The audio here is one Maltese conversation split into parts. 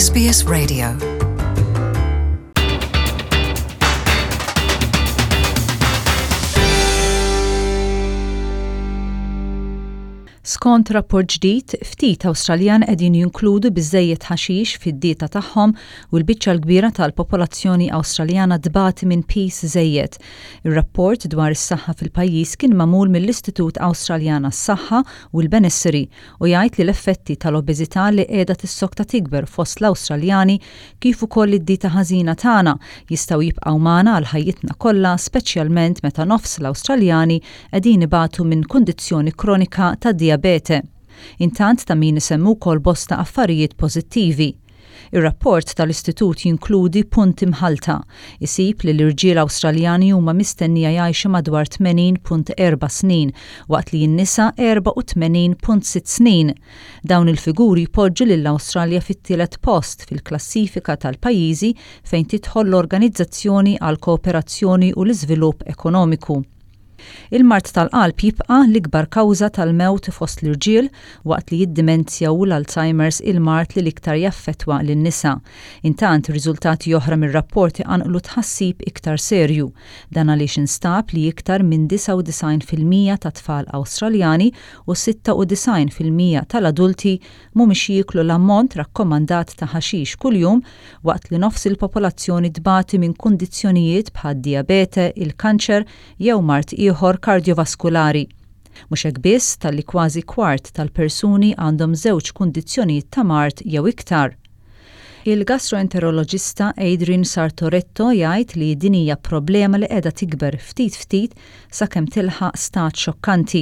SBS Radio. Skont rapport ġdid, ftit Awstraljan qegħdin jinkludu biżżejjed ħaxix fid-dieta tagħhom u l-biċċa l-kbira tal-popolazzjoni Awstraljana tbati minn piż żejjed. Ir-rapport dwar is-saħħa fil-pajjiż kien magħmul mill-Istitut Awstraljan għas-Saħħa u l-Benesseri u jgħid li l-effetti tal-obeżità li qiegħda tissokta tikber fost l-Awstraljani kif ukoll id-dieta ħażina tagħna jistgħu jibqgħu magħna għal ħajjitna kollha speċjalment meta nofs l-Awstraljani qegħdin ibatu minn kundizzjoni kronika ta' dijabete. Intant ta' min isemmu wkoll bosta affarijiet pożittivi. Ir-rapport tal-istitut jinkludi punti mħallta. Isib li l-irġiel Awstraljani huma mistennija jgħixu madwar 80.4 snin, waqt li n-nisa 84.6 snin. Dawn il-figuri jpoġġu lill-Awstralja fit-tielet post fil-klassifika tal-pajjiżi fejn tidħol l-Organizzazzjoni għall-Kooperazzjoni u l-Iżvilupp Ekonomiku. Il-mard tal-qalb jibqa' l-ikbar kawża tal-mewt fost l-irġiel, waqt li d-dimenzja u l-Alzheimer's il-mard li l-iktar jaffettwa lin-nisa. Intant, riżultati oħra mir-rapport iqanqlu tħassib iktar serju. Dan għaliex instab li iktar minn 99% tat-tfal Awstraljani u 96% tal-adulti mhumiex jieklu l-ammont rakkomandat ta' ħaxix kuljum waqt li nofs il-popolazzjoni tbati minn kundizzjonijiet bħad-dijabete, il-kanċer jew mard ieħor kardjovaskulari. Mhux hekk biss talli kważi kwart tal-persuni għandhom żewġ kundizzjonijiet ta' mard jew iktar. Il-gastroenteroloġista Adrian Sartoretto jgħid li din hija problema li qiegħda tikber ftit ftit sakemm tilħaq stat xokkanti.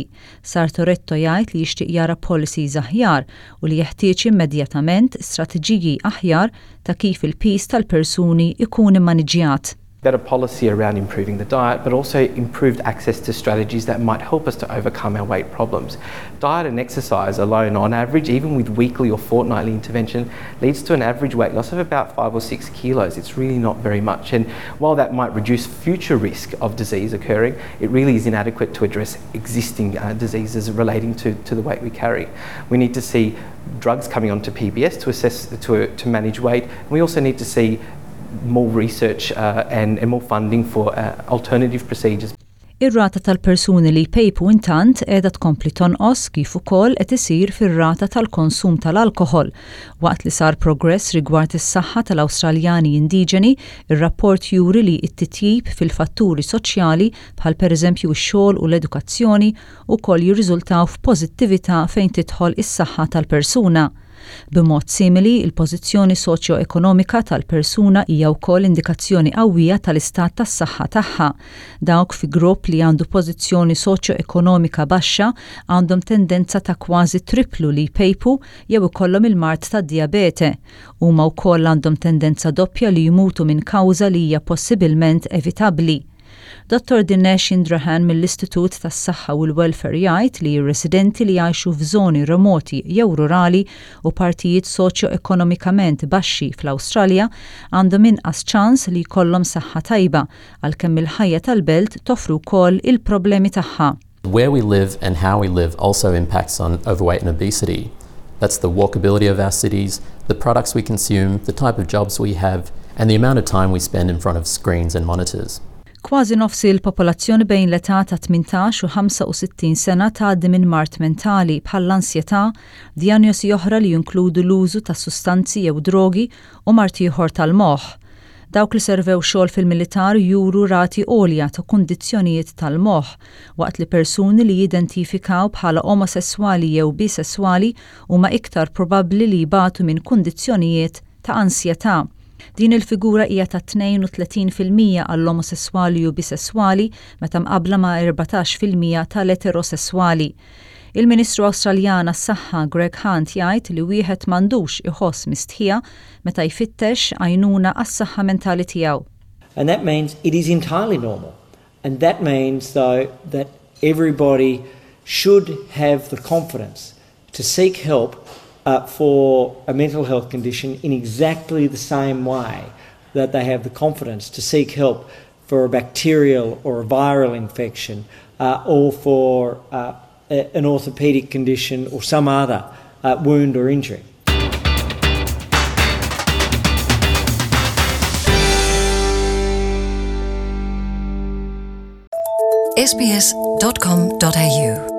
Sartoretto jgħid li jixtieq jara policies aħjar u li jeħtieġ immedjatament strateġiji aħjar ta' kif il-piż tal-persuni jkun immaniġġjat. Better policy around improving the diet, but also improved access to strategies that might help us to overcome our weight problems. Diet and exercise alone, on average, even with weekly or fortnightly intervention, leads to an average weight loss of about 5 or 6 kilos. It's really not very much. And while that might reduce future risk of disease occurring, it really is inadequate to address existing uh, diseases relating to, to the weight we carry. We need to see drugs coming onto PBS to assess to, to manage weight. And we also need to see more research uh, and, and more funding for uh, alternative procedures. Ir-rata tal-persuni li jpejpu intant qiegħda tkompli tonqos kif ukoll qed isir fir-rata tal-konsum tal-alkoħol. Waqt li sar progress rigward is-saħħa tal-Awstraljani indiġeni, ir-rapport juri li t-titjib fil-fatturi soċjali bħal pereżempju x-xogħol u l-edukazzjoni ukoll jirriżultaw f'pożittività fejn tidħol is-saħħa tal-persuna. B'mod simili, il-pożizzjoni soċjoekonomika tal-persuna hija wkoll indikazzjoni qawwija tal-istat tas-saħħa tagħha. Dawk fi grupp li għandu pożizzjoni soċjoekonomika baxxa għandhom tendenza ta' kważi tripplu li jpejpu jew ikollhom il-mard tad-dijabete. Huma wkoll għandhom tendenza doppja li jmutu minn kawża li hija possibilment evitabbli. Dottor Dinesh Indrahan mill-Istitut tas-Saħħa u l-Welfare jgħid li r-residenti li jgħixu f'żoni remoti jew rurali u partijiet soċjoekonomikament baxxi fl-Awstralja għandhom inqas ċans li jkollhom saħħa tajba għalkemm il-ħajja tal-belt toffri wkoll il-problemi tagħha. Where we live and how we live also impacts on overweight and obesity. That's the walkability of our cities, the products we consume, the type of jobs we have, and the amount of time we spend in front of screens and monitors. Kważi nofs il-popolazzjoni bejn l-età ta' 18 u 65 sena tgħaddi minn mard mentali bħall-ansjetà, dijanjosi oħra li jinkludu l-użu ta' sustanzi jew drogi u mard ieħor tal-moħħ. Dawk li servew xogħol fil-militar juru rati għolja ta' kundizzjonijiet tal-moħħ, waqt li persuni li jidentifikaw bħala omosesswali jew bisesswali huma iktar probabbli li jbatu minn kundizzjonijiet ta' ansjetà. Din il-figura hija ta' 32% għall-omosesswali u bisesswali meta mqabbla ma' 14% tal-eterosesswali. Il-Ministru Awstraljan għas-Saħħa Greg Hunt jgħid li wieħed m'għandux iħoss mistħija meta jfittex għajnuna għas-saħħa mentali tiegħu. And that means it is entirely normal. And that means though that everybody should have the confidence to seek help uh, for a mental health condition in exactly the same way that they have the confidence to seek help for a bacterial or a viral infection uh, or for uh, an orthopedic condition or some other uh, wound or injury. sbs.com.au.